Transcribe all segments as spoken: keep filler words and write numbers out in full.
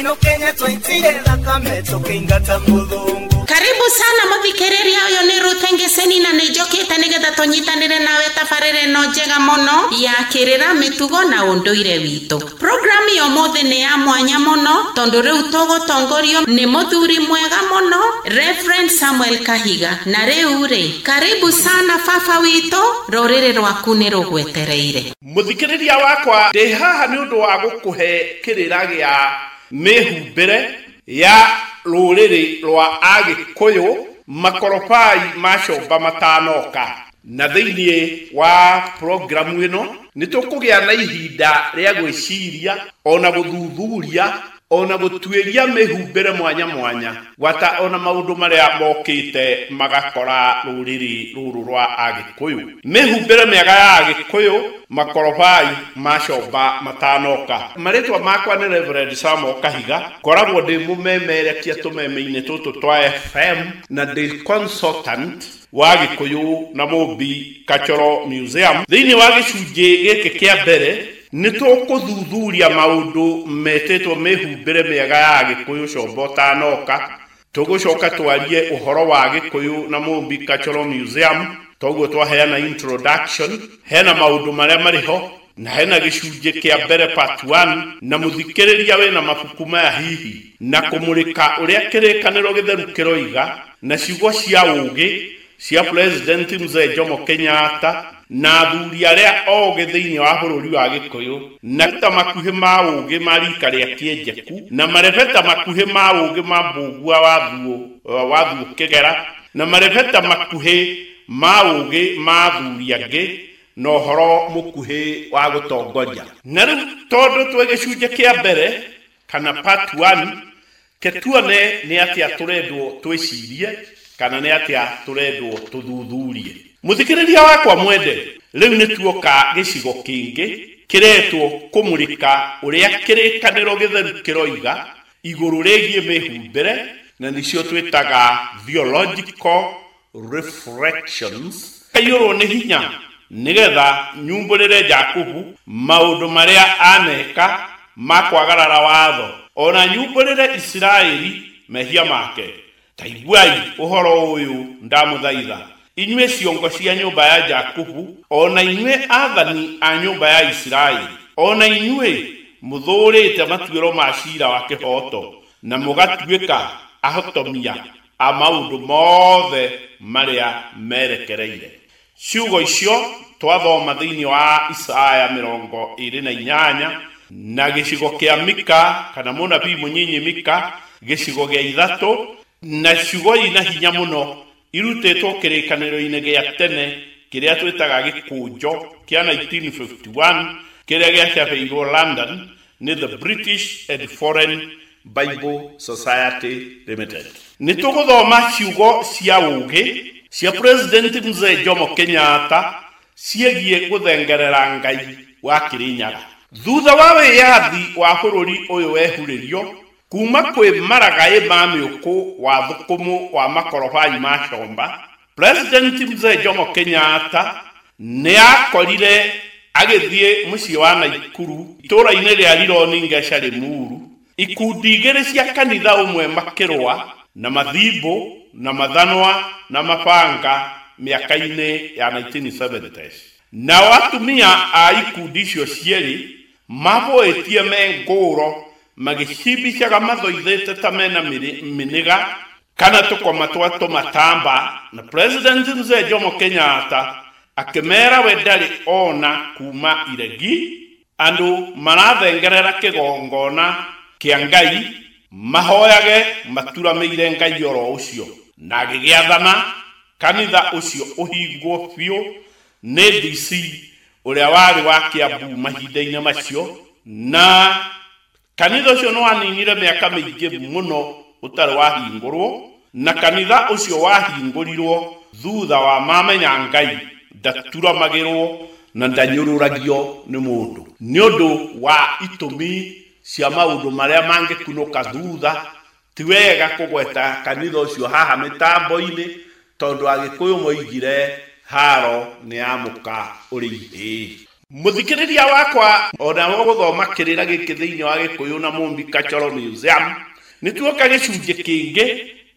Ino Kenya twaitire thakame tũkĩingata mũthũngũ. Karibu sana muthikiriria, uyu ni Ruth Ngeseni na nĩ njũkĩte nĩgetha tũnyitanĩre nawe tabarĩra ĩno njega mũno ya kĩrĩra, mĩtugo na ũndũire witũ. Program ya ũmũthĩ nĩ ya mwanya mũno tondũ rĩu tũgũtongorio nĩ mũthuri mwega mũno, Reverend Samuel Kahiga. Na rĩu rĩ, karibu sana baba witũ, rũrĩrĩ rwaku nĩ rũgwetereire. Mũthikĩrĩria wakwa, ndĩ haha nĩ ũndũ wa gũkũhe kĩrĩra gĩa mĩhumbĩre ya rũrĩrĩ rwa Agĩkũyũ makorobai ma comba matanoka. Na thĩinĩ wa programu ĩno nĩ tũkũgĩa na ihinda rĩa gwĩciria ona gũthuthuria ona gũtuĩria mĩhumbĩre mwanya mwanya, gwata ona maũndũ marĩa mokĩte magakora rũrĩrĩ rũrũ rwa Agĩkũyũ. Mĩhumbĩre mĩega ya Agĩkũyũ makorobai ma comba matanoka. Marĩtwa makwa nĩ Reverend Samuel Kahiga, ngoragwo ndĩ mũmemerekia tũmeme-inĩ tũtũ twa F M na ndĩ consultant wa Gĩkũyũ na Mũmbi Cultural Museum. Thĩinĩ wa gĩcunjĩ gĩkĩ kĩa mbere nĩ tũkũthuthuria maũndũ metĩtwo mĩhumbĩre mĩega ya Gĩkũyũ comba ũtanoka. Tũgũcoka twarie ũhoro wa Gĩkũyũ na Mũmbi Cultural Museum, toguo twaheana introduction, hena maũndũ marĩa marĩ ho na hena gĩcunjĩ kĩa mbere part one, na mũthikĩrĩria wĩna mabuku maya hihi na kũmũrĩka ũrĩa kĩrĩkanĩro gĩtheru kĩroiga na ciugo cia ũũgĩ cia President Mzee Jomo Kenyatta na athuri arĩa ogĩ thĩinĩ wa bũrũri wa Gĩkũyũ, na ta makuhĩ ma ũũgĩ ma rika rĩa kĩenjeku na marebeta makuhĩ ma ũũgĩ ma Mbũgua wa Thuo wa Thuo Kĩgera na marebeta makuhĩ ma ũũgĩ ma athuri angĩ na ũhoro mũkuhĩ wa gũtongoria. Na rĩu tondũ twĩ gĩcunjĩ kĩa mbere kana part one, ke tuone nĩ atĩa tũrendwo twĩcirie kana nĩ atĩa tũrendwo tũthuthurie. Mũthikĩrĩria wakwa mwende, rĩu nĩ tuoka gĩcigo kĩngĩ kĩretwo kũmũrĩka ũrĩa kĩrĩkanĩro gĩtheru kĩroiga igũrũ rĩgiĩ mĩhumbĩre, na nĩcio twĩtaga theological reflections. Kaiyũrwo nĩ hinya nĩgetha nyumbũrĩre Jakubu maũndũ marĩa aneka ma kwagarara watho, ona nyumbũrĩre Isiraeli mehia make. Ta iguai ũhoro ũyũ ndamũthaitha, inyuĩ ciongo cia nyũmba ya Jakubu, ona inyuĩ athani a nyũmba ya Isiraeli, ona inyuĩ mũthũrĩte matuĩro ma ciira wa kĩhooto na mũgatuĩka ahotomia a maũndũ mothe marĩa merekereire. Ciugo icio twathoma thĩinĩ wa Isaya mĩrongo ĩrĩ na inyanya na gĩcigo kĩa Mika kana mũnabii mũnyinyi Mika gĩcigo gĩa ithatũ, na ciugo ina hinya mũno irutĩtwo kĩrĩkanĩro-inĩ gĩa tene kĩrĩa twĩtaga gĩkũnjo kĩa nineteen fifty-one kĩrĩa gĩacabĩirwo London nĩ the British and Foreign Bible Society Limited. Nĩ tũgũthoma ciugo cia ũũgĩ cia President Mzee Jomo Kenyatta ciĩgiĩ gũthengerera Ngai wa Kĩrĩnyaga. Thutha wa wĩyathi wa bũrũri ũyũ wehurĩrio kuma kwĩ maragaĩ ma mĩũkũ wa thũkũmũ wa makorobai ma comba, President Mzee Jomo Kenyatta nĩ akorire agĩthiĩ mũciĩ wa Naikuru itũũra-inĩ rĩa Rironi Ngeca Limuru ikundi igĩrĩ cia kanitha ũmwe makĩrũa na mathimbũ na mathanwa na mabanga mĩaka-inĩ ya nineteen seventies. Nao atumia a ikundi icio cierĩ mabũĩtie me ngũro magĩcimbicaga mathoithĩte ta mena mĩnĩga kana tũkoma twa tũmatamba, na President Mzee Jomo Kenyatta akĩmera we ndarĩ ona kuma iregi andũ marathengerera kĩgongona kĩa Ngai mahoyage maturamĩire Ngai oro ũcio, na agĩgĩathana kanitha ũcio ũhingwo biũ nĩ D C ũrĩa warĩ wa Kiambu mahinda-inĩ macio. Na kanitha ũcio nĩ waninire mĩaka mĩingĩ mũno ũtarĩ wahingũrwo, na kanitha ũcio wahingũrirwo thutha wa mamenya Ngai ndaturamagĩrwo na ndanyũrũragio nĩ mũndũ nĩ ũndũ wa itũmi cia maũndũ marĩa mangĩkunũka thutha. Ti wega kũgweta kanitha ũcio haha mĩtambo-inĩ tondũ Agĩkũyũ moigire haro nĩ ya mũka ũrĩ ihĩĩ. Mũthikĩrĩria wakwa ona gũthoma kĩrĩra gĩkĩ thĩinĩ wa Gĩkũyũ na Mũmbi Cultural Museum, nĩ tuoka gĩcunjĩ kĩngĩ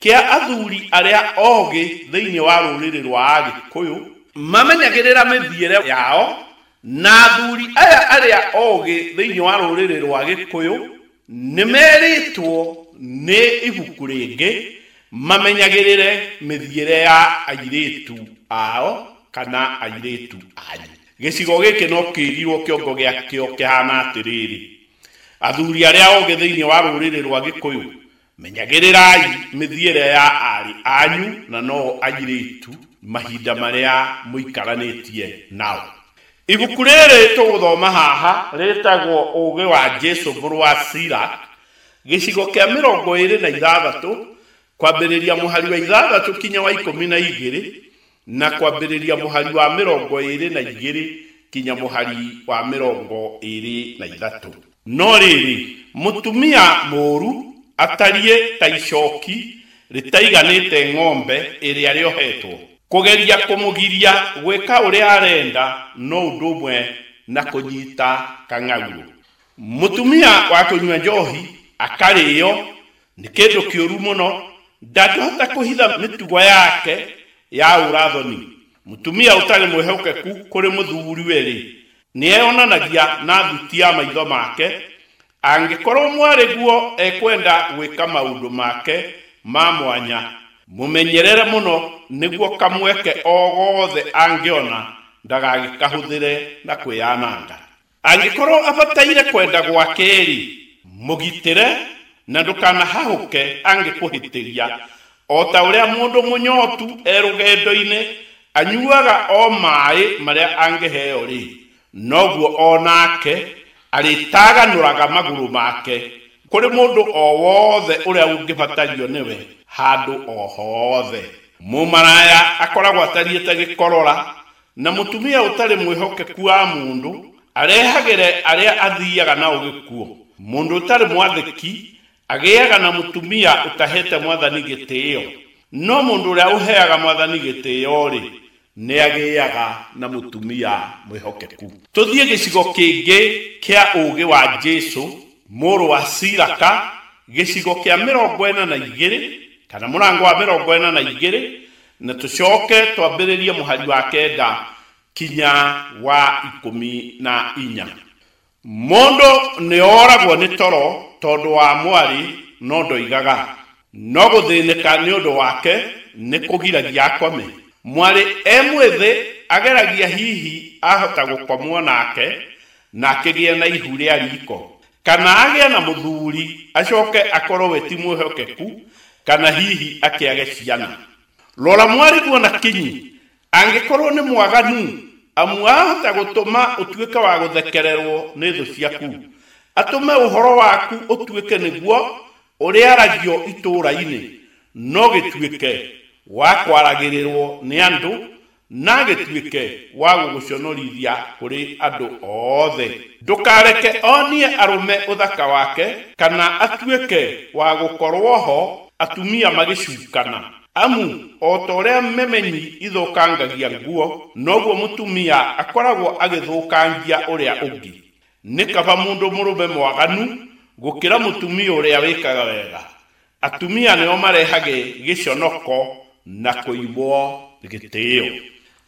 kĩa athuri arĩa ogĩ thĩinĩ wa rũrĩrĩ rwa Agĩkũyũ mamenyagĩrĩra mĩthiĩre yao, na athuri aya arĩa ogĩ thĩinĩ wa rũrĩrĩ rwa Gĩkũyũ nĩ merĩtwo nĩ ibuku rĩngĩ mamenyagĩrĩre mĩthiĩre ya airĩtu ao kana airĩtu anyu. Gĩcigo gĩkĩ no kĩrirwo kĩongo gĩakĩo kĩhana atĩrĩrĩ: athuri arĩa ogĩ thĩinĩ wa rũrĩrĩ rwa Gĩkũyũ, menyagĩrĩrai mĩthiĩre ya aarĩ anyu na no airĩtu mahinda marĩa mũikaranĩtie nao. Ibuku rĩrĩ tũgũthoma haha rĩtagwo Ũũgĩ wa Jesũ mũrũ wa Sirach, gĩcigo kĩa mĩrongo ĩrĩ na ithathatũ, kwambĩrĩria mũhari wa ithathatũ kinya wa ikũmi na igĩrĩ, na kwambĩrĩria mũhari wa mĩrongo ĩrĩ na igĩrĩ kinya mũhari wa mĩrongo ĩrĩ na ithatũ. No rĩrĩ, mũtumia mũũru atariĩ ta icoki rĩtaiganĩte ng'ombe ĩrĩa rĩohetwo. Kũgeria kũmũgiria gwĩka ũrĩa arenda no ũndũ ũmwe na kũnyita kang'aurũ. Mũtumia wa kũnyua njohi akarĩo nĩ kĩndũ kĩũru mũno, ndangĩhota kũhitha mĩtugo yake ya ũrathoni. Mũtumia ũtarĩ mwĩhokeku kũrĩ mũthuriwe-rĩ, nĩeyonanagia na thuti ya maitho make. Angĩkorwo mwarĩ guo ekwenda gwĩka maũndũ make ma mwanya, mũmenyerere mũno nĩguo kamweke o gothe angĩona ndagagĩkahũthĩre na kwĩyananga. Angĩkorwo abataire kwenda gwake-rĩ, mũgitĩre na ndũkanahahũke angĩkũhĩtĩria. O ta ũrĩa mũndũ mũnyotu e rũgendo-inĩ anyuaga o maĩ marĩa angĩheo-rĩ, noguo o nake arĩtaganũraga magũrũ make kũrĩ mũndũ o wothe ũrĩa ũngĩbatario nĩwe handũ o hothe. Mũmaraya akoragwo atariĩ ta gĩkorora, na mũtumia ũtarĩ mwĩhokeku wa mũndũ arehagĩre arĩa athiaga nao gĩkuũ. Mũndũ ũtarĩ mwathĩki agĩaga na mũtumia ũtahete mwathani gĩtĩo, no mũndũ ũrĩa ũheaga mwathani gĩtĩo-rĩ, nĩagĩaga na mũtumia mwĩhokeku. Tũthiĩ gĩcigo kĩngĩ kĩa ũũgĩ wa Jesũ mũrũ wa Siraka, gĩcigo kĩa mĩrongo ĩna na igĩrĩ kana mũrango wa mĩrongo ĩna na igĩrĩ, na tũcoke twambĩrĩrie mũhari wa kenda kinya wa ikũmi na inya. Mũndũ nĩoragwo nĩ toro tondũ wa mwarĩ, no ndoigaga, no gũthĩnĩka nĩ ũndũ wake nĩ kũgiragia akome. Mwarĩ e mwĩthĩ ageragia hihi ahota gũkomwo nake na akĩgĩe na ihu rĩa riko, kana agĩe na mũthuri acoke akorwo we ti mwĩhokeku, kana hihi akĩage ciana. Rora mwarĩ guo na kinyi, angĩkorwo nĩ mwaganu, amu ahota gũtũma ũtuĩke wa gũthekererwo nĩ thũ ciaku, atũme ũhoro waku ũtuĩke nĩguo ũrĩaragio itũũra-inĩ, no gĩtuĩke wa kwaragĩrĩrwo nĩ andũ, na gĩtuĩke wa gũgũconorithia kũrĩ andũ othe. Ndũkareke onie arũme ũthaka wake, kana atuĩke wa gũkorwo ho atumia magĩcukana. Amu o ta ũrĩa memenyi ithũkangagia nguo, noguo mũtumia akoragwo agĩthũkangia ũrĩa ũngĩ. Nĩ kaba mũndũ mũrũme mwaganu gũkĩra mũtumia ũrĩa wĩkaga wega. Atumia nĩo marehage gĩconoko na kũimwo gĩtĩo.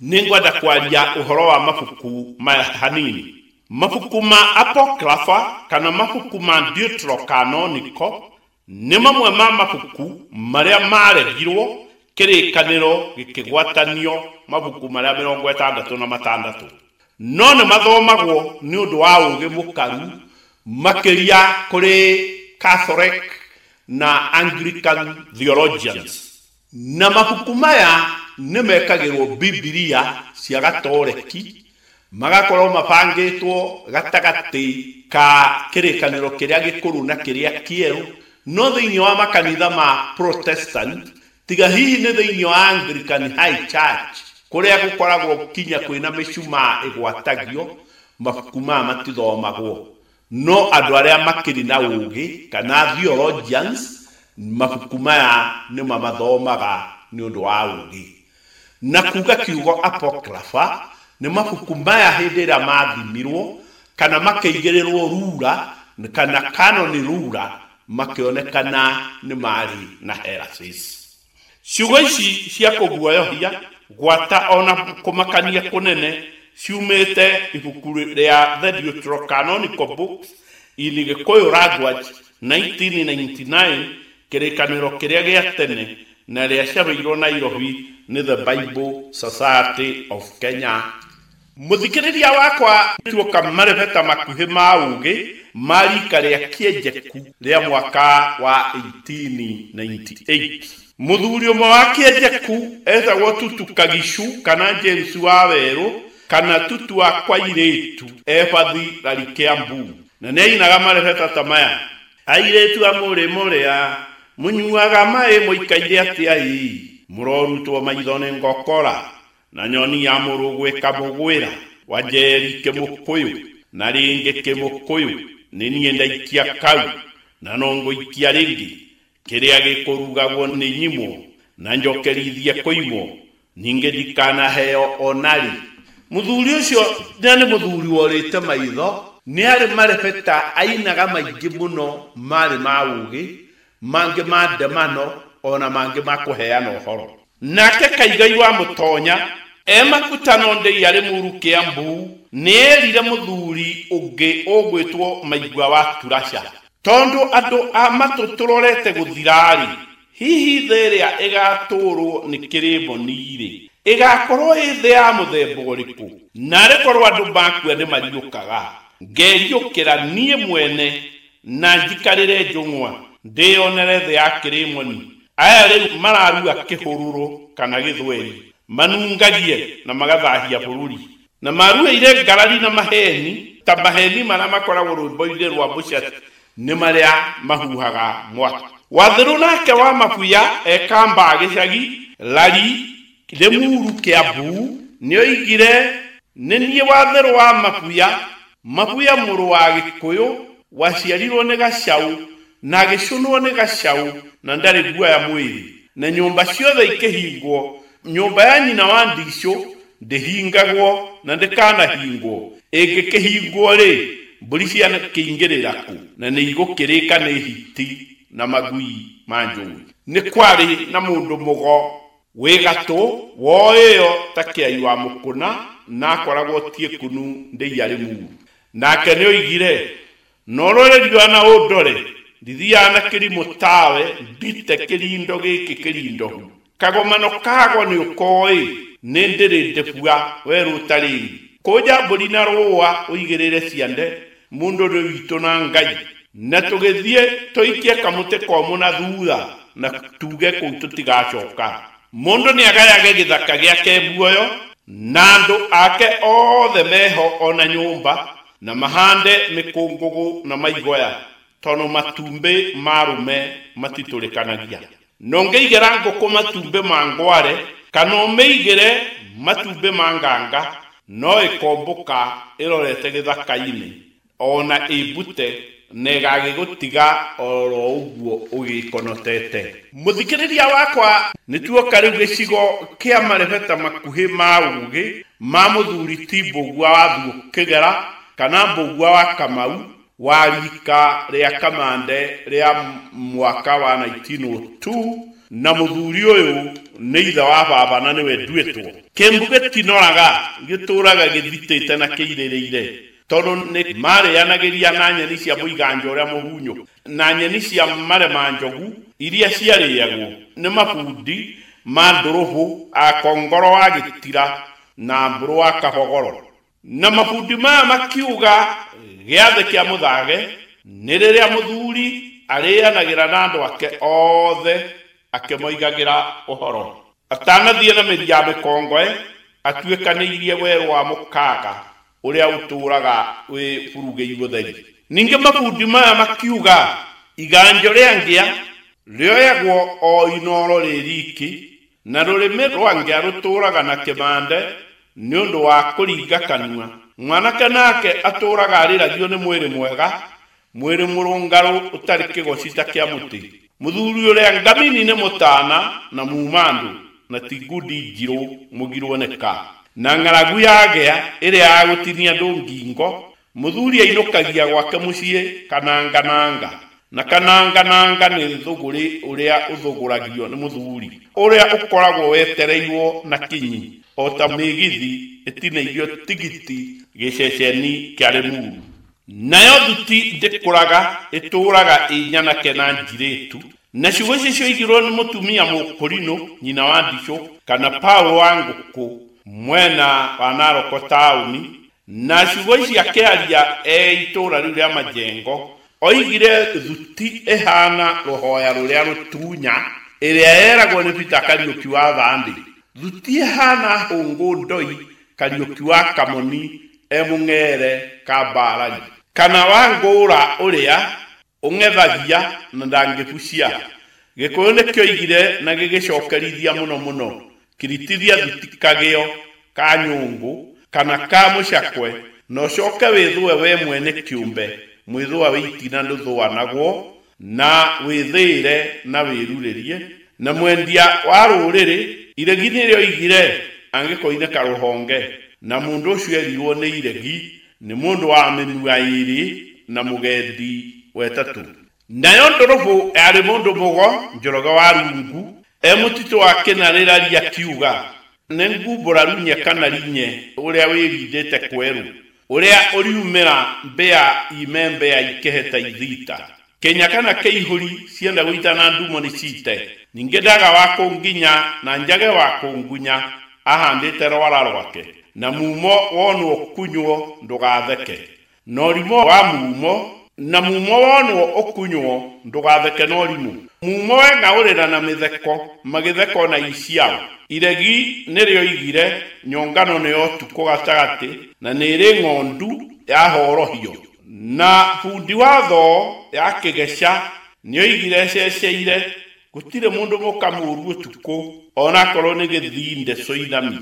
Nĩngwenda kwaria ũhoro wa mabuku maya hanini. Mabuku ma Apocrypha kana mabuku ma Deuterocanonical nĩ mamwe ma mabuku marĩa maregirwo kĩrĩkanĩro gĩkĩgwatanio mabuku marĩa mĩrongo ĩtandatũ na matandatũ, no nĩ mathomagwo nĩ ũndũ wa ũũgĩ mũkaru makĩria kũrĩ Catholic na Anglican theologians. Na mabuku maya nĩ mekagĩrwo Bibilia cia Gatoreki, magakorwo mabangĩtwo gatagatĩ ka kĩrĩkanĩro kĩrĩa gĩkũrũ na kĩrĩa kĩerũ, no thĩinĩ wa makanitha ma Protestant, tiga hihi nĩ thĩinĩ wa Anglican High Church kũrĩa gũkoragwo kinya kwĩna mĩcumaa ĩgwatagio, mabuku maya matithomagwo. No andũ arĩa makĩrĩ na ũũgĩ kana theologians, mabuku maya nĩ mamathomaga nĩ ũndũ wa ũũgĩ. Na kuga kiugo apocrypha Nĩ mabuku maya hĩndĩ ĩrĩa mathimirwo kana makĩigĩrĩrwo rura kana kanoni rura makĩonekana nĩ marĩ na heresies. Ciugo ici cia kũguoyohia gwata ona kũmakania kũnene ciumĩte ibuku rĩa The Deuterocanonical Books in Gĩkũyũ Language nineteen ninety-nine, kĩrĩkanĩro kĩrĩa gĩa tene na rĩacabĩirwo Nairobi nĩ The Bible Society of Kenya. Mũthikĩrĩria wakwa tuoka marebeta makuhĩ ma ũgĩ ma rika rĩa Kĩenjeku rĩa mwaka wa eighteen ninety-eight. Mũthuri ũmwe wa Kĩenjeku etagwo Tutu Kagicu kana James wa Werũ kana Tutu wa Kwairĩtu ebathi Rari Kĩambu, na nĩainaga marebeta ta maya: airĩtu a mũrĩmo ũrĩa mũnyuaga maĩ mũikaire atĩa ĩ, mũrorutwo maitho nĩ ngokora na nyoni ya mũrũgwe kamũgwĩra, Wanjeri kĩmũkũyũ na rĩngĩ kĩmũkũyũ, nĩ niĩ ndaikia kau na no ngũikia rĩngĩ, kĩrĩa gĩkũrugagwo nĩ nyimwo na njokerithie kũimwo, ningĩ ndikanaheo onarĩ. Mũthuri ũcio na nĩ mũthuri worĩte maitho, nĩ arĩ marebeta ainaga maingĩ mũno marĩ ma ũgĩ, mangĩ ma ndemano ona mangĩ ma kũheana ũhoro. Nake Kaigai wa Mũtonya e makutano ndĩi arĩ Mũru Kĩambu nĩerire mũthuri ũngĩ ũgwĩtwo Maigua wa Turaca, tondũ andũ a matũ tũrorete gũthira-rĩ, hihi thĩ ĩrĩa ĩgatũrwo nĩ kĩrĩmoni-rĩ ĩgakorwo ĩ thĩ ya mũthemba ũrĩkũ? Narĩ korwo andũ makua nĩ mariũkaga, ngeriũkĩra niĩ mwene na njikarĩre njũng'wa ndĩyonere thĩ ya kĩrĩmoni. Aya rĩu mararua kĩhũrũro kana gĩthweri, manungagie na magathahia bũrũri, na maruĩire ngarari na maheni ta maheni marĩa makoragwo rwĩmbo-inĩ rwa Mũcati nĩ marĩa mahuhaga mwaki. Wathĩrũ nake wa Mabuya ekamba gĩcagi Lari Limuru Kĩambu nĩoigire, nĩ niĩ Wathĩrũ wa Mabuya, Mabuya mũrũ wa Gĩkũyũ, waciarirwo nĩ gacau na agĩcũnwo nĩ gacau na ndarĩ guoya mwĩrĩ, na nyũmba ciothe ikĩhingwo, nyũmba ya nyina wa ndicũ ndĩhingagwo na ndĩkanahingwo, ĩngĩkĩhingwo rĩ mbũri ciakĩingĩrĩra kũ na nĩ igũkĩrĩka nĩ hiti na magui ma njũĩ. Nĩ kwarĩ na mũndũ mũgo wĩ gatũ woĩyo ta kĩai wa mũkũna na akoragwo tiĩkunu ndĩi arĩ muru. Nake nĩoigire, norore riũa na ũndore, ndithiaga na kĩrimũ tawe ndite kĩrindo gĩkĩ kĩrindohu, kagomano kago nĩ ũkoĩ nĩ ndĩrĩ ndĩbua werũ ũtarĩ, kũnja mbũri na rũa ũigĩrĩre ciande mũndũ nĩ witũ na Ngai, na tũgĩthiĩ tũikie kamũtĩ komũ na thutha na tuge kũu tũtigacoka. Mũndũ nĩagayage gĩthaka gĩake muoyo na andũ ake othe meho ona nyũmba, na mahande mĩkũngũgũ na maigoya, tondũ matumbĩ ma arũme matitũrĩkanagia. Na ũngĩigĩra ngũkũ matumbĩ ma ngware kana ũmĩigĩre matumbĩ ma nganga, no ĩkombũka ĩrorete gĩthaka-inĩ ona ĩmbute na ĩgagĩgũtiga oro ũguo ũgĩkonotete. Mũthikĩrĩria wakwa, nĩ tuoka rĩu gĩcigo kĩa marebeta makuhĩ ma ũgĩ ma mũthuri ti Mbũgua wa Thuũ Kĩgera kana Mbũgua wa Kamau wa rika rĩa Kamande rĩa mwaka wa nineteen oh two, na mũthuri ũyũ nĩ ithe wa baba na nĩwe nduĩtwo. Kĩmbu gĩtinoraga gĩtũraga gĩthitĩte na kĩirĩrĩire, tondũ nĩ marĩanagĩria na nyeni cia mũiganja ũrĩa mũhunyũ na nyeni cia marema njogu iria ciarĩagwo nĩ mabundi ma ndũrũhũ a kongoro wa gĩtira na mbũrũ wa kabogoro. Na mabundi maya makiuga gĩathĩ kĩa mũthage nĩ rĩrĩa mũthuri arĩanagĩra na andũ ake othe akĩmoigagĩra ũhoro. Atanathiĩ na mĩri ya mĩkongoe atuĩkanĩirie werũ wa mũkaga ũrĩa ũtũraga wĩ burugĩi mũtheri. Ningĩ mabundi maya makiuga iganjo rĩa ngĩa rĩoyagwo o inoro rĩ riki, na rũrĩmĩ rwa ngĩa rũtũraga na kĩmande nĩ ũndũ wa kũringa kanua. Mwanake nake atũraga arĩragio nĩ mwĩrĩ mwega, mwĩrĩ mũrũngarũ ũtarĩ kĩgoci ta kĩa mũtĩ. Mũthuri ũrĩa ngamini nĩ mũtana na mumandũ na ti ngundi njirũ mũgirwo nĩ ka. Na ng'aragu yagĩa ĩrĩa ya gũtinia andũ ngingo, mũthuri ainũkagia gwake mũciĩ kanangananga. Na kanangananga nĩ thũgũrĩ ũrĩa ũthũgũragio nĩ mũthuri, ũrĩa ũkoragwo wetereirwo na kinyi o ta mĩgithi ĩtinĩirio tigiti gĩceceni kĩa Limuru. Nayo thuti ndĩkũraga, ĩtũũraga ĩ nyanake na njirĩtu. Na ciugo ici cioigirwo nĩ mũtumia mũkũrinũ, nyina wa Ndicũ, kana Paul wa Ngũkũ, mwena wa Naroko taũni. Na ciugo ici akĩaria e itũũra rĩu rĩa Majengo, oigire thuti ĩhana rũhoya rũrĩa rũtunya, ĩrĩa yeragwo nĩ Peter Kariũki wa Thandĩ. Thuti ĩhana hũngũ ndoi, Kariũki wa Kamoni e mũng'ere Kambarari. Kana wa ngũra ũrĩa ũng'ethagia na ndangĩbucia. Gĩkũyũ nĩkĩoigire na gĩgĩcokerithia mũno mũno, kiritithia thuti kagĩo ka nyũngũ kana ka mũcakwe, na ũcoke wĩthũe we mwene kĩũmbe, mwĩthũa wĩ itina ndũthũanagwo, na wĩthĩĩre na wĩrurĩrie. Na mwendia wa rũrĩrĩ, iregi nĩrĩoigire angĩkoinĩka rũhonge, na mũndũ ũcio erirwo nĩ iregi nĩ mũndũ wa mĩnua ĩĩrĩ na mũgendi wetatũ. Nayo ndũrũbũ yarĩ mũndũ mũgo, Njoroge wa Rungu, e mũtitũ wa Kĩnarĩraria akiuga, nĩ ngumbũra runye kana rinye ũrĩa wĩrindĩte kwerũ, ũrĩa ũriumĩra mbĩa ime mbĩa ikĩheta ithita. Kenya kana kĩihũri cienda gũitana ndumo nĩ cite. Ningĩ ndaga wa kũnginya na njage wa kũngunya ahandĩte rwara rwake, na mumo wonwo kunywo ndũgatheke. Na ũrimũ wa mumo, na mumo wonwo ũkunywo ndũgatheke na ũrimũ. Mumo weng'aũrĩra na mĩtheko, magĩtheko na iciao. Iregi nĩrĩoigire nyongano nĩ ya ũtukũ gatagatĩ, na nĩĩrĩ ng'ondu yahorohio. Na bundi wa thoo ya kĩgeca nĩoigire ececeire, gũtirĩ mũndũ mũka mũũru ũtukũ, onakorwo nĩ gĩthinde coinami,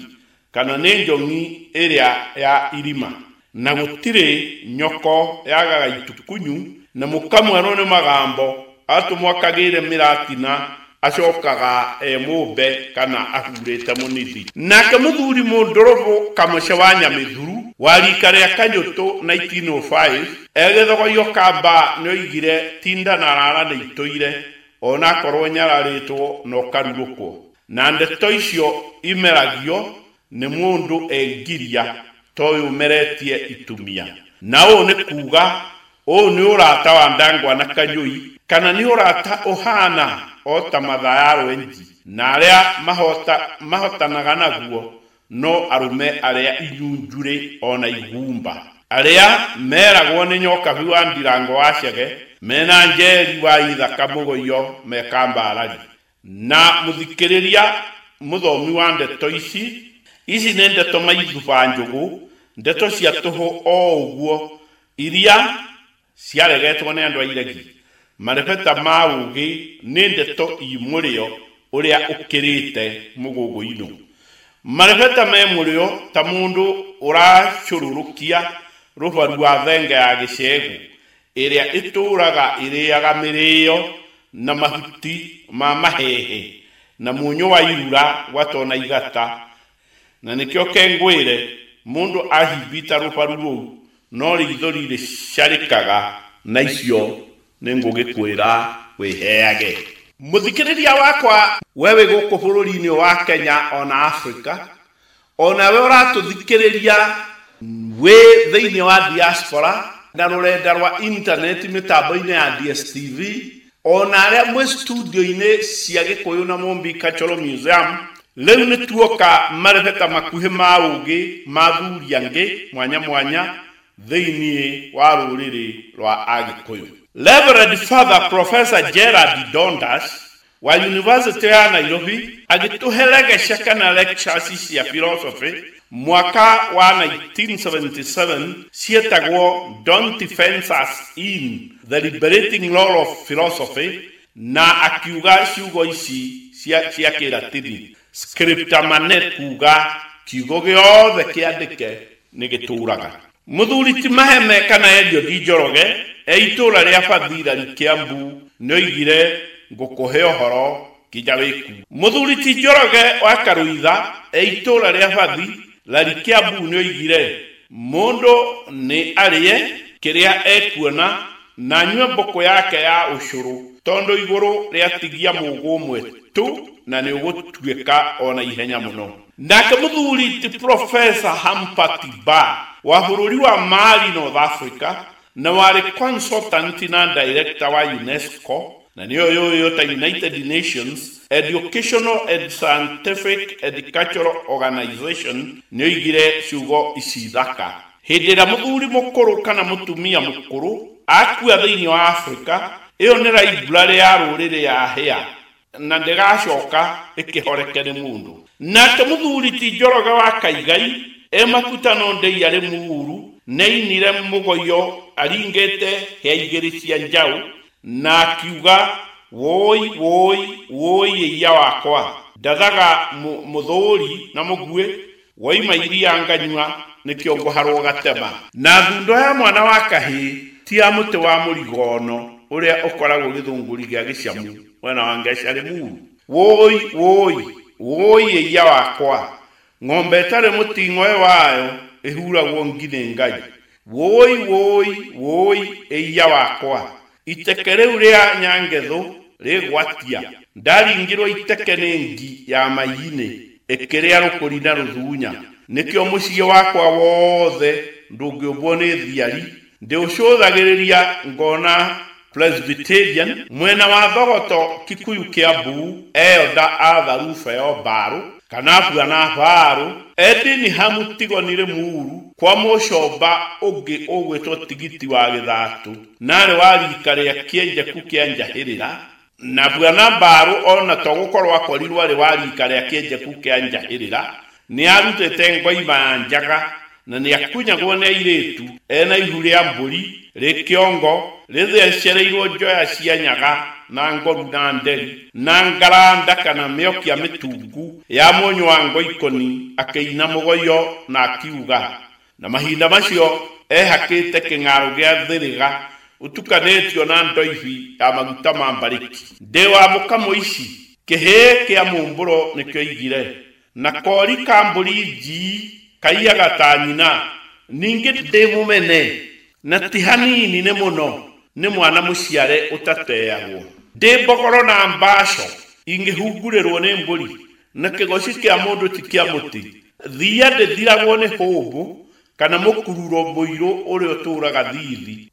kana nĩ njong'i ĩrĩa ya irima. Na gũtirĩ nyoko yagaga itukunyu, na mũkamwerwo nĩ magambo, atũmwo akagĩre mĩratina, acokaga e mũmbe kana ahurĩte mũnithi. Nake mũthuri mũndũrũbũ Kamũce wa Nyamĩthuru wa rika rĩa Kanyũtũ nineteen oh five egĩthogoio kamba nĩoigire tinda na rara nĩ itũire, onakorwo nyararĩtwo na ũkarurũkwo. Na ndeto icio imeragio nĩ mũndũ engiria ta ũyũ ũmeretie itumia. Na ũũ nĩ kuga ũũ nĩ ũrata wa Ndangwa na Kanyũi, kana nĩ ũrata ũhana o ta mathaa ya rwenji, na arĩa mahota, mahotanaga naguo no arũme arĩa inyunjurĩ ona igumba, arĩa meragwo nĩ Nyokabi wa Ndirango wa Chege, mena Njeri wa Ithaka Mũgũiyo me Kambarari. Na mũthikĩrĩria mũthomi wa ndeto ici, ici nĩ ndeto maithuba njũgũ, ndeto cia tũhũ o ũguo, iria ciaregetwo nĩ andũ a iregi. Marebeta ma ũũgĩ nĩ ndeto i mũrĩo ũrĩa ũkĩrĩte mũgũgũ-inũ. Marebeta me mũrĩo ta mũndũ ũracũrũrũkia rũbaru wa thenge ya gĩcegũ, ĩrĩa ĩtũũraga ĩrĩaga mĩrĩo na mahuti ma mahehe na mũnyũ wa irura gwatona igata. Na nĩkĩo kengwĩre mũndũ ahimbita rũbaru rũu no rĩithori rĩcarĩkaga, na icio nĩ ngũgĩkwĩra wĩheage. Mũthikĩrĩria wakwa, we wĩ gũkũ bũrũri-inĩ wa Kenya ona Afrika, onawe ũratũthikĩrĩria wĩ thĩinĩ wa diaspora na rũrenda rwa intaneti mĩtambo-inĩ ya D S T V, ona arĩa mwĩ studio-inĩ cia Gĩkũyũ na Mũmbi Cultural Museum, rĩu nĩ tuoka marebeta makuhĩ ma ũũgĩ ma thuri angĩ mwanya mwanya thĩinĩ wa rũrĩrĩ rwa Agĩkũyũ. Reverend Father Professor Gerard Dondas wa University ya Nairobi agĩtũheregeca kana lectures cia philosophy mwaka wa nineteen seventy-seven cietagwo Don't Fence Us In, The Liberating Role of Philosophy, na akiuga ciugo ici cia, cia Kĩratini scripta manet, kuga kiugo gĩothe kĩandĩke nĩ gĩtũraga. Mũthuri ti Maheme kana Eliud Njoroge e itũũra rĩa Bathira Kiambu nĩoigire ngũkũhe ũhoro nginya wĩku. Mũthuri ti Njoroge wa Karũitha e itũũra rĩa Bathi Larry Kiambu nĩoigire mũndũ nĩ arĩe kĩrĩa ekuona na anyue mbũkũ yake ya ũcũrũ tondũ igũrũ rĩatigia mũgũ ũmwe tu na nĩ ũgũtuĩka ona ihenya mũno. Nake mũthuri ti Professor Hampati Ba wa bũrũri wa Mali, North Africa, na warĩ consultant na director wa UNESCO na nĩyo yũĩyo ta United Nations Educational and Scientific and Cultural Organization nĩoigire ciugo ici thaka. Hĩndĩ ĩrĩa mũthuri mũkũrũ kana mũtumia mũkũrũ akua thĩinĩ wa Afrika, ĩyo nĩ library ya rũrĩrĩ ya hĩa na ndĩgacoka ĩkĩhoreke nĩ mũndũ. Nake mũthuri ti Njoroge wa Kaigai e makutano ndei arĩ muuru nĩainire mũgoyo aringĩte hĩa igĩrĩ cia njaũ na akiuga woi woi woi ĩiya wakwa ndathaga mũthũri na mũguĩ woima iria nganyua nĩkĩo ngũharwo gatema. Na thundo ya mwana wa kahĩĩ ti ya mũtĩ wa mũrigono ũrĩa ũkoragwo gĩthũngũri gĩa gĩcamu mwena wa Ngeca Limuru. Woi woi woi ĩiya wakwa ng'ombe ĩtarĩ mũting'oe wayo ĩhuragwo ngi nĩ Ngai. Woi woi woi ĩiya wakwa iteke rĩu rĩa Nyangethũ rĩgwatia ndaringirwo iteke nĩ ngi ya mai-inĩ ĩkĩrĩa rũkũri na rũthunya. Nĩkĩo mũciĩ wakwa wothe ndũngĩũmbwo nĩ thiari ndĩũcũthagĩrĩria ngona Presbyterian mwena wa Thogoto Kikuyu Kiambu Elda Arthur Rufeo Mbaru kana Bwana Mbaru Edini Hamutigo nĩ Limuru kwa mũcomba ũngĩ ũgwĩtwo Tigiti wa Gĩthatu narĩ wa rika rĩa Kĩenjeku kĩa Njahĩrĩra na Bwana Mbaru ona to gũkorwo akorirwo arĩ wa rika rĩa Kĩenjeku kĩa Njahĩrĩra nĩarutĩte ngoima ya njaga na nĩakunyagwo nĩ airĩtu ena ihu rĩa mbũri rĩ kĩongo rĩthecereirwo njoya cia nyaga na ngoru na nderi na ngaranda kana mĩokia mĩtungu ya mũnyũ wa ngoikoni akĩina mũgoyo na akiuga. Na mahinda macio ehakĩte kĩng'arũ gĩa thĩrĩga ũtukanĩtio na ndoibi ya maguta ma mbarĩki. Ndĩ wa mũkamo ici kĩhĩĩ kĩa mũmbũro nĩkĩo igire na kori ka mbũri njii kaiyaga ta nyina ningĩ ndĩ mũmene na ti hanini nĩ mũno nĩ mwana mũciare ũtateagwo. Ndĩ mbogoro na mbaco ingĩhungurĩrwo nĩ mbũri na kĩgoci kĩa mũndũ ti kĩa mũtĩ. Thiia ndĩthiragwo nĩ hũmbũ kana mũkururo mũirũ ũrĩa ũtũũraga thithi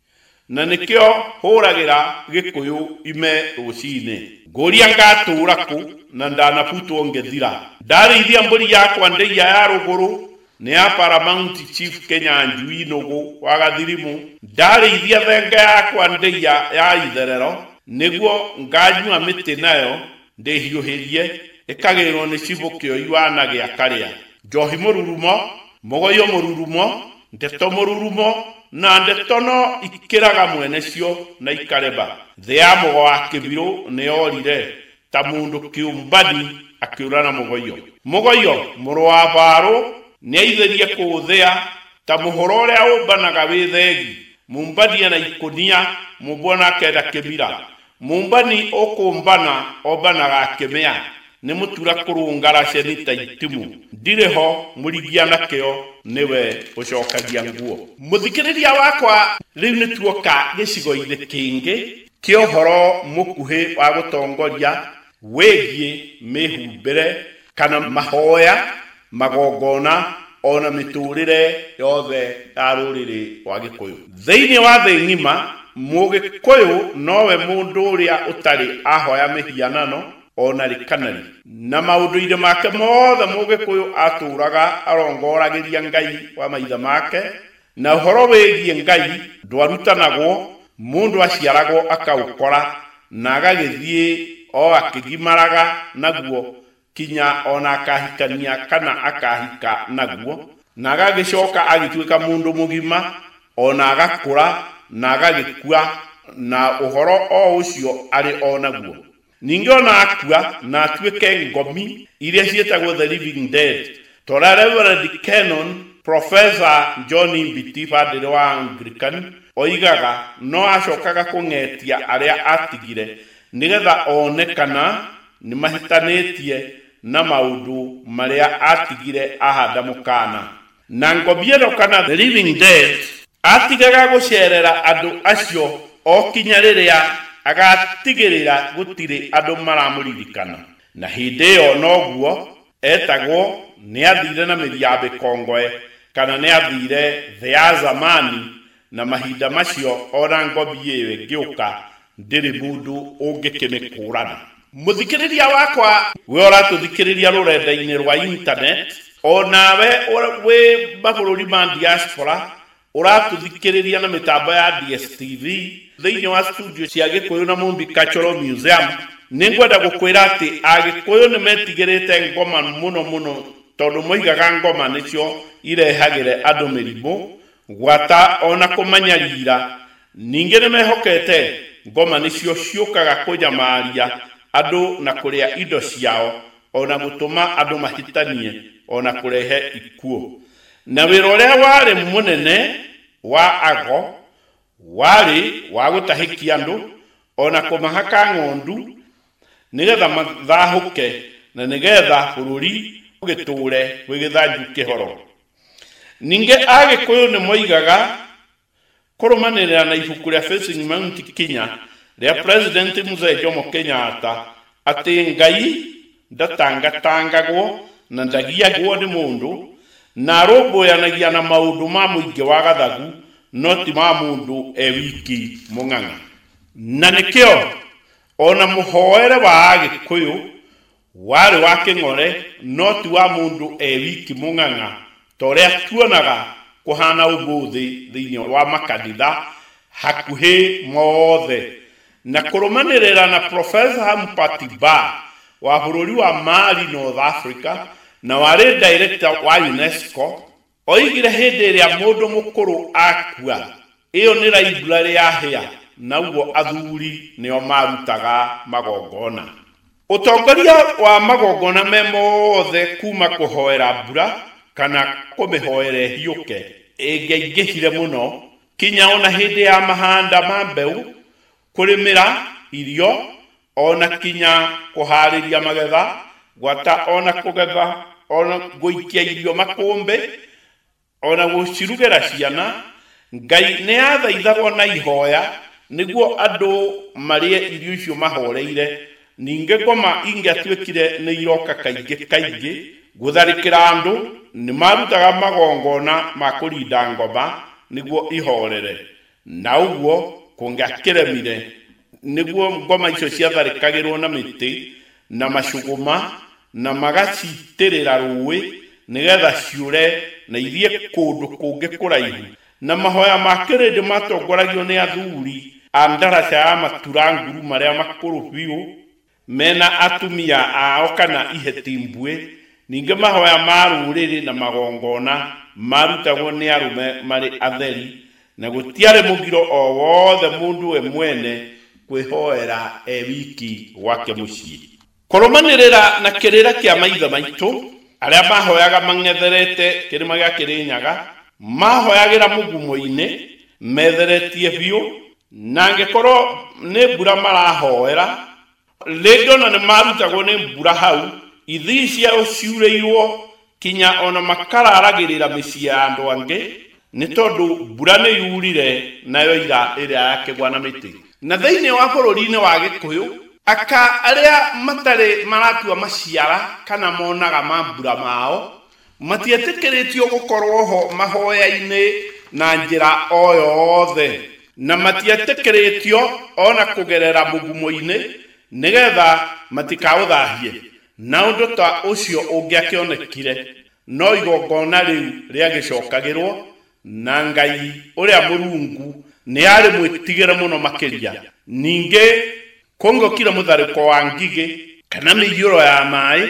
na nĩkĩo hũragĩra Gĩkũyũ ime rũcinĩ. Ngũria ngatũũra kũ na ndanabutwo ngĩthira. Ndarĩithia mbũri yakwa ndĩia ya rũgũrũ nĩ ya Paramount Chief Kenya Njui Nũgũ wa Gathirimu. Ndarĩithia thenge yakwa ndĩia ya itherero nĩguo nganyua mĩtĩ nayo ndĩhiũhĩrie ĩkagĩrwo nĩ cibũ kĩoi wa na gĩa karĩa. Njohi mũrurumo mũgoyo mũrurumo ndeto mũrurumo na ndeto no ikĩraga mwene cio na ikareba. Thĩ ya mũgo wa kĩbirũ nĩyorire ta mũndũ kĩũmbani akĩũra na mũgoyo. Mũgoyo mũrũ wa Mbarũ nĩaithĩrie kũũthĩa ta mũhoro ũrĩa ũmbanaga wĩ thegi. Mũmbania na ikũnia mũmbwo akenda kĩmira. Mũmbani ũkũmbana ombanaga akĩmĩa nĩ mũtura kũrũngara ceni ta itimũ. Ndirĩ ho mũrigia nakĩo nĩwe ũcokagia nguo. Mũthikĩrĩria wakwa rĩu nĩ tuoka gĩcigo-inĩ kĩngĩ kĩa ũhoro mũkuhĩ wa gũtongoria wĩgiĩ mĩhumbĩre kana mahoya magongona ona mĩtũrĩre yothe ya rũrĩrĩ rwa Gĩkũyũ. Thĩinĩ wa thĩ ng'ima Mũgĩkũyũ nowe mũndũ ũrĩa ũtarĩ ahoya mĩhianano ona rĩ kana rĩ. Na maũndũ-inĩ make mothe Mũgĩkũyũ atũraga arongoragĩria Ngai wa maithe make na ũhoro wĩgiĩ Ngai ndwarutanagwo mũndũ aciaragwo akaũkora na agagĩthiĩ o akĩgimaraga naguo kinya ona akahikania kana akahika naguo na agagĩcoka agĩtuĩka mũndũ mũgima ona agakũra na agagĩkua na ũhoro o ũcio arĩ o naguo. Ningĩ ona akua na atuĩke ngomi iria ciĩtagwo the living dead. Tora Reverend Canon Professor John Mbiti bandĩrĩ wa Anglican oigaga no acokaga kũng'etia arĩa atigire nĩgetha one kana nĩmahĩtanĩtie na maũndũ marĩa atigire ahanda mũkana. Na ngombi ĩno kana the living dead atigaga gũcerera andũ acio o kinya rĩrĩa agatigĩrĩra gũtirĩ andũ maramũririkana. Na hĩndĩ ĩyo noguo etagwo nĩ athire na mĩri ya mĩkongoe kana nĩ athire thĩ ya zamani, na mahinda macio ona ngombi ĩyo ĩngĩũka ndĩrĩ mũndũ ũngĩkĩmĩkũrana. Mũthikĩrĩria wakwa we ũratũthikĩrĩria rũrenda-inĩ rwa internet, onawe wĩ mabũrũri ma diaspora ũratũthikĩrĩria na mĩtambo ya D S T V thĩinĩ wa studio cia Gĩkũyũ na Mumbi Cultural Museum, nĩngwenda gũkwĩra atĩ Agĩkũyũ nĩ metigĩrĩte ngoma mũno mũno, tondũ moigaga ngoma nĩcio irehagĩre andũ mĩrimũ gwata ona kũmanyarira. Ningĩ nĩ mehokete ngoma nĩcio ciũkaga kũnyamaria andũ na kũrĩa indo ciao, ona gũtũma andũ mahĩtanie, ona kũrehe ikuũ. Na wĩra ũrĩa warĩ mũnene wa ago warĩ wa gũtahĩkia andũ ona kũmahaka ng'ondu nĩgetha mathahũke na nĩgetha bũrũri ũgĩtũre wĩ gĩthanju kĩhoro. Ningĩ Agĩkũyũ nĩ moigaga kũrũmanĩrĩra na ibuku rĩa Facing Mount Kenya rĩa President Mzee Jomo Kenyatta atĩ Ngai ndatangatangagwo na ndagiagwo nĩ mũndũ na arũmbũyanagia na maũndũ ma mũingĩ wa gathagu no ti ma mũndũ e wiki mũng'ang'a. Na nĩkĩo ona mũhoere wa Agĩkũyũ warĩ wa kĩng'ore no ti wa mũndũ e wiki mũng'ang'a ta ũrĩa tuonaga kũhana ũmũthĩ thĩinĩ wa makanitha hakuhĩ mothe. Na kũrũmanĩrĩra na Professor Hampati Ba wa bũrũri wa Mali, North Africa, na warĩ director wa UNESCO, oigire hĩndĩ ĩrĩa mũndũ mũkũrũ akua ĩyo nĩ library ya hĩa, na ũguo athuri nĩo marutaga magongona. Ũtongoria wa magongona me mothe kuma kũhoera mbura kana kũmĩhoera ĩhiũke ĩngĩaingĩhire mũno kinya ona hĩndĩ ya mahanda ma mbeũ, kũrĩmĩra irio, ona kinya kũharĩria magetha, gwata ona kũgetha, ona gũikia irio makũmbĩ, ona gũcirugĩra ciana. Ngai nĩ athaithagwo na ihoya nĩguo andũ marĩe irio icio mahoreire. Ningĩ ngoma ingĩatuĩkire nĩ iroka kaingĩ kaingĩ gũtharĩkĩra andũ, nĩ marutaga magongona ma kũrinda ngoma nĩguo ihorere, na ũguo kũngĩakĩremire nĩguo ngoma icio ciatharĩkagĩrwo na mĩtĩ na macũgũma na magacitĩrĩra rũĩ nĩgetha ciũre na ithiĩ kũndũ kũngĩ kũraihu. Na mahoya ma kĩrĩndĩ matongoragio nĩ athuri a ndaraca ya matura nguru marĩa makũrũ biũ mena atumia ao kana iheti mbuĩ. Ningĩ mahoya ma rũrĩrĩ na magongona marutagwo nĩ arũme marĩ atheri, na gũtiarĩ mũgiro o wothe mũndũ we mwene kwĩhoera e wiki gwake mũciĩ. Kũrũmanĩrĩra na kĩrĩra kĩa maithe maitũ arĩa mahoyaga mang'etherete kĩrĩma gĩa Kĩrĩnyaga, mahoyagĩra mũgumo-inĩ metheretie biũ, na angĩkorwo nĩ mbura marahoera rĩngĩ ona nĩ marutagwo nĩ mbura hau, ithii ciao ciurĩirwo kinya ona makararagĩrĩra mĩciĩ ya andũ angĩ nĩ tondũ mbura nĩ yurire nayo ira ĩrĩa yakĩgwa na mĩtĩ. Na thĩinĩ wa bũrũri-inĩ wa Gĩkũyũ, aka arĩa matarĩ maratua maciara kana monaga mambura mao matietĩkĩrĩtio gũkorwo ho mahoya-inĩ na njĩra o yothe, na matietĩkĩrĩtio ona kũgerera mũgumo-inĩ nĩgetha matikaũthahie. Na ũndũ ta ũcio ũngĩakĩonekire no igongona rĩu rĩagĩcokagĩrwo na Ngai ũrĩa Mũrungu nĩ arĩ mwĩtigĩre mũno makĩria. Ningĩ kũngĩokire mũtharĩko wa ngigĩ kana mĩiyũro ya maĩ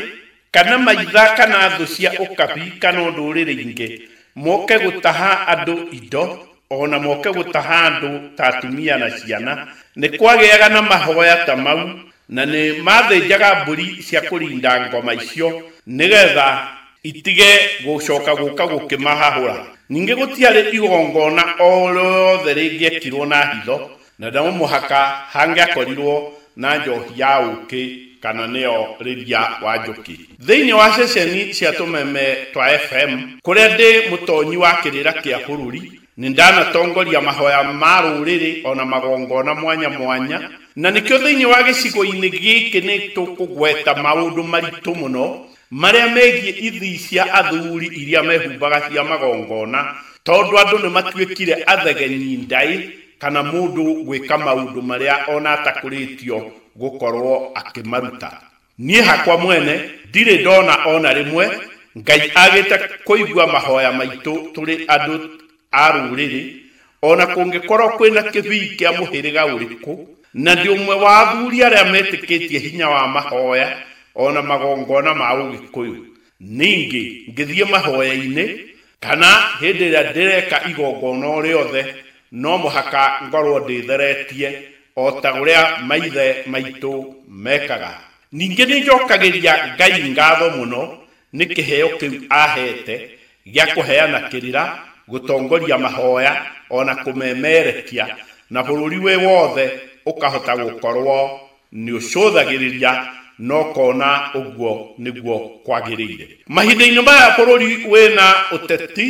kana maitha kana thũ cia ũkabi kana ndũrĩrĩ ingĩ moke gũtaha andũ indo ona moke gũtaha andũ ta atumia na ciana, nĩ kwagĩaga na mahoya ta mau, na nĩ mathĩnjaga mbũri cia kũrinda ngoma icio nĩgetha itige gũcoka gũka gũkĩmahahũra. Ningĩ gũtiarĩ igongona o rĩothe rĩngĩekirwo na hitho, na no mũhaka hangĩakorirwo na njohi ya ũũkĩ kana nĩo Rĩria wa Njũkĩ. Thĩinĩ wa ceceni cia tũmeme twa F M kũrĩa ndĩ mũtonyi wa kĩrĩra kĩa bũrũri, nĩ ndanatongoria mahoya ma rũrĩrĩ ona magongona mwanya mwanya, na nĩkĩo thĩinĩ wa gĩcigo-inĩ gĩkĩ nĩ tũkũgweta maũndũ maritũ mũno marĩa megiĩ ithii cia athuri iria mehumbaga cia magongona, tondũ andũ nĩ matuĩkire athegenyi ndaĩ kana mũndũ gwĩka maũndũ marĩa ona atakũrĩtio gũkorwo akĩmaruta. Niĩ hakwa mwene ndirĩ ndona ona rĩmwe Ngai agĩte kũigua mahoya maitũ tũrĩ andũ a rũrĩrĩ, ona kũngĩkorwo kwĩna kĩbii kĩa mũhĩrĩga ũrĩkũ, na ndĩ ũmwe wa athuri arĩa metĩkĩtie hinya wa mahoya ona magongona ma Ũgĩkũyũ. Ningĩ ngĩthiĩ mahoya-inĩ kana hĩndĩ ĩrĩa ndĩreka igongona o rĩothe, no mũhaka ngorwo ndĩtheretie o ta ũrĩa maithe maitũ mekaga. Ningĩ nĩ njokagĩria Ngai ngatho mũno nĩ kĩheo kĩu ahete gĩa kũheana kĩrĩra, gũtongoria mahoya ona kũmemerekia, na bũrũri wĩ wothe ũkahota gũkorwo nĩ ũcũthagĩrĩria na ũkona ũguo nĩguo kwagĩrĩire. Mahinda-inĩ maya bũrũri wĩna ũteti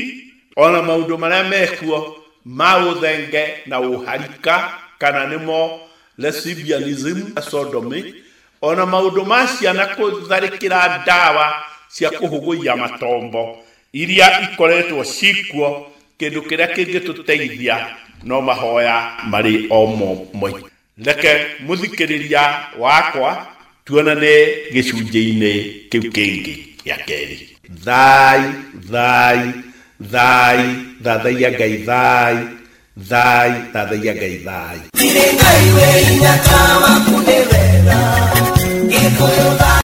ona maũndũ marĩa mekuo ma ũthenge na ũharika, kana nĩmo lesbianism, sodomy, ona maũndũ ma ciana kũtharĩkĩra ndawa cia kũhũgũia matombo iria ikoretwo cikuo, kĩndũ kĩrĩa kĩngĩtũteithia no mahoya marĩ o mo moiki. Reke mũthikĩrĩria wakwa tuonane gĩcunjĩ-inĩ kĩu kĩngĩ gĩa kerĩ. Thai, thai, thai, thathaiya Ngai, thai, thai, thathaiya Ngai, thai. Ngai wĩ hinya ta waku nĩ wega, Gĩkũyũ.